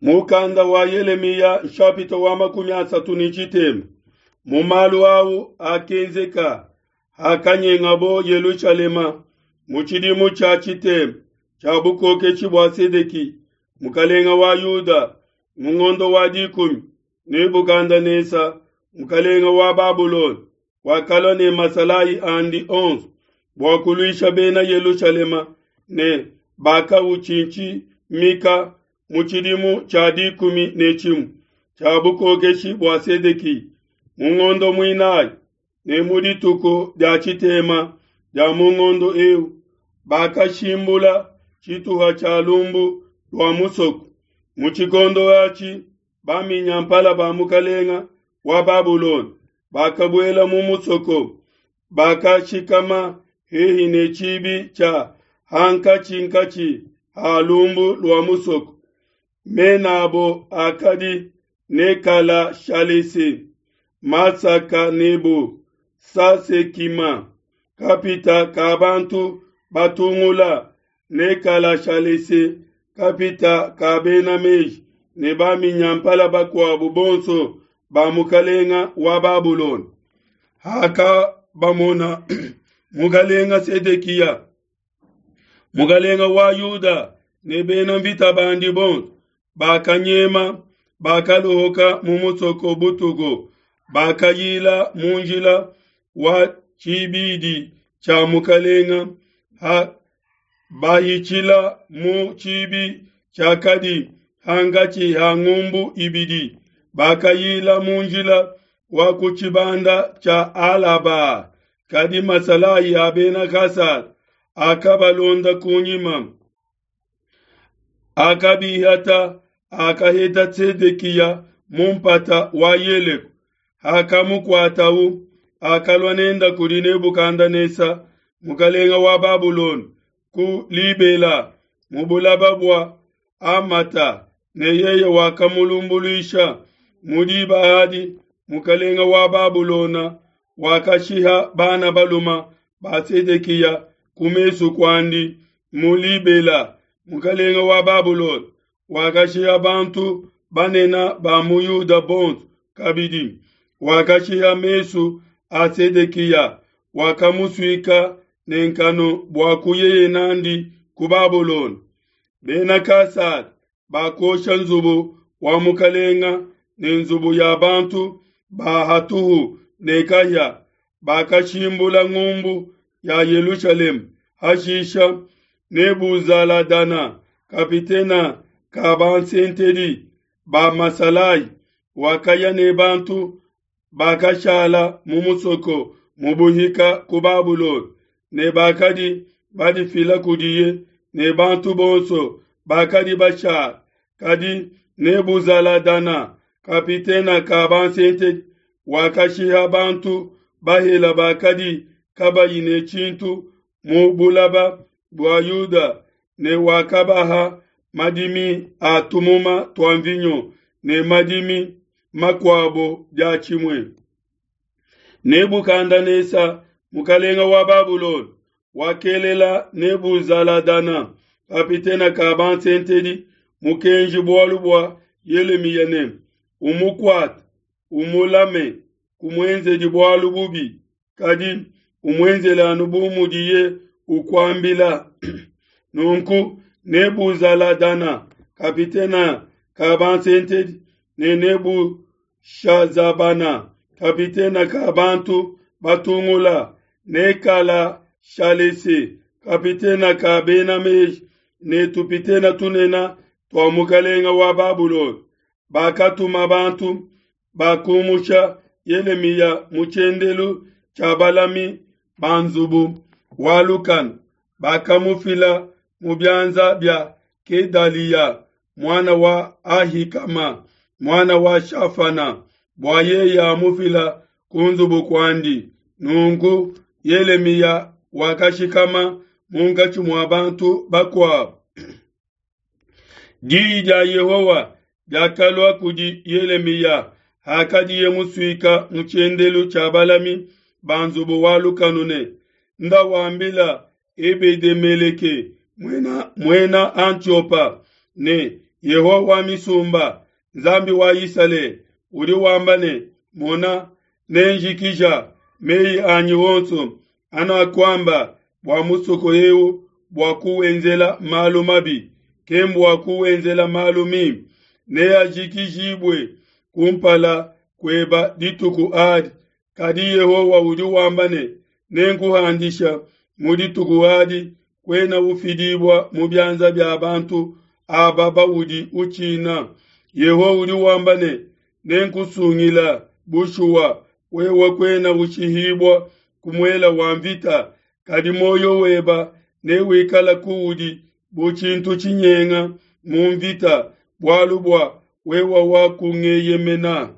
Mukanda wa Yelemiya nshapita wa 33. Mu malu au akenzeka hakanyengabo Yelushalema mu tshidimu tshia tshitema tshia bukokeshi bua Sedeki mukalenga wa Yuda, mu ngondo wa 10, Nebukadenesa mukalenga wa Babulona wakalua ne masalayi andi onso bua kuluisha bena Yelushalema ne bakawutshintshimika mu tshidimu tshia 11 tshia bukokeshi bua Sedeki, mu ngondo muinayi ne mu dituku dia tshitema dia mu ngondo eu, bakashimbula tshituha tshia lumbu lua musoko. Mu tshikondo atshi baminyampala ba mukalenga wa Babulona bakabuela mu musoko, bakashikama hehi ne tshibi tshia hankatshinkatshi ha lumbu lua musoko. Mena abo akadi Nekala-Shalese, Masaka-Nebo, Sasekima, kapita ka bantu batungula, Nekala-Shalese, kapita ka bena meji, ne baminyampala bakuabu bonso ba mukalenga wa Babulona. Hakabamona mukalenga Sedekiya, mukalenga wa Yuda, ne bena mvita bandi bonso, bakanyema, bakalohoka mu musoko butuku, bakayila mu njila wa tshibidi tshia mukalenga, ha bahitshila mu tshibi tshiakadi hankatshi ha ngumbu ibidi, bakayila mu njila wa ku tshibanda tshia Alaba. Kadi masalayi a bena Kasada akabalonda kunyima, akabihata, akaheta Sedekiya mu mpata wa Yeleko. Hakamukuatawu, akalua nenda kudi Nebukadenesa mukalenga wa Babulona ku Libela mu bulaba bua Amata, ne yeye wakamulumbuluisha. Mu diba adi mukalenga wa Babulona wakashiha bana baluma ba Sedekiya ku mesu kuandi mu Libela. Mukalenga wa Babulona wakashiha bantu banene ba mu Yuda bonso kabidi, wakashiha mesu a Sedekiya, wakamusuika ne nkanu bua kuyeye nandi ku Babulona. Bena Kasada bakosha nzubu wa mukalenga ne nzubu ya bantu ba hatuhu ne kahia, bakashimbula ngumbu ya Yelushalema. Hashisha Nebuzaladana kapitena ka bansentedi ba masalayi wakaya ne bantu bakashala mu musoko mu buhika ku Babulona, ne bakadi badifila kudiye ne bantu bonso bakadi bashala. Kadi Nebuzaladana kapitena ka bansentedi wakashiha bantu bahela bakadi kabayi ne tshintu mu bulaba bua Yuda, ne wakabaha madimi a tumuma tua mvinyo ne madimi makuabo diatshimue. Nebukadenesa mukalenga wa Babulona wakelela Nebuzaladana kapitena ka bansentedi mukenji bualu bua Yelemiya ne, umukuate, umulame, kumuenzedi bualu bubi, kadi umuenzele anu bu mudiye ukuambila. Nunku Nebuzaladana kapitena ka bansentedi ne Nebushazabana kapitena ka bantu batungula, Nekala-Shalese kapitena ka bena meji ne tupitena tunene tua mukalenga wa Babulona, bakatuma bantu bakumusha Yelemiya mu tshiendelu tshia balami ba nzubu wa lukanu, bakamufila mu bianza bia Kedaliya muana wa Ahikama muana wa Shafana, bua yeye amufila ku nzubu kuandi. Nunku Yelemiya wakashikama munkatshi mua bantu bakuabo. Diyi dia Yehowa diakalua kudi Yelemiya hakadiye musuika mu tshiendelu tshia balami ba nzubu wa lukanu ne, nda wambila Ebede-meleke muena Antiopa ne, Yehowa wa misumba, Nzambi wa Isalele, udi wamba ne, Mona, nenjikija meyi anyi onso anakuamba bua musoko eu bua kuwenzela malu mabi, kembua kuwenzela malu mimpe, neajikijibue kumpala kueba dituku adi. Kadi Yehowa udi wamba ne, Nenkuhandisha mu dituku adi, kuena ufidibua mu bianza bia bantu aba baudi utshina. Yehowa udi wamba ne, Nenkusungila bushuwa, wewe kuena ushihibua ku muele wa mvita, kadi muoyo weba newikala kuudi bu tshintu tshinyenga mu mvita, bualu bua wewe wakungeyemena.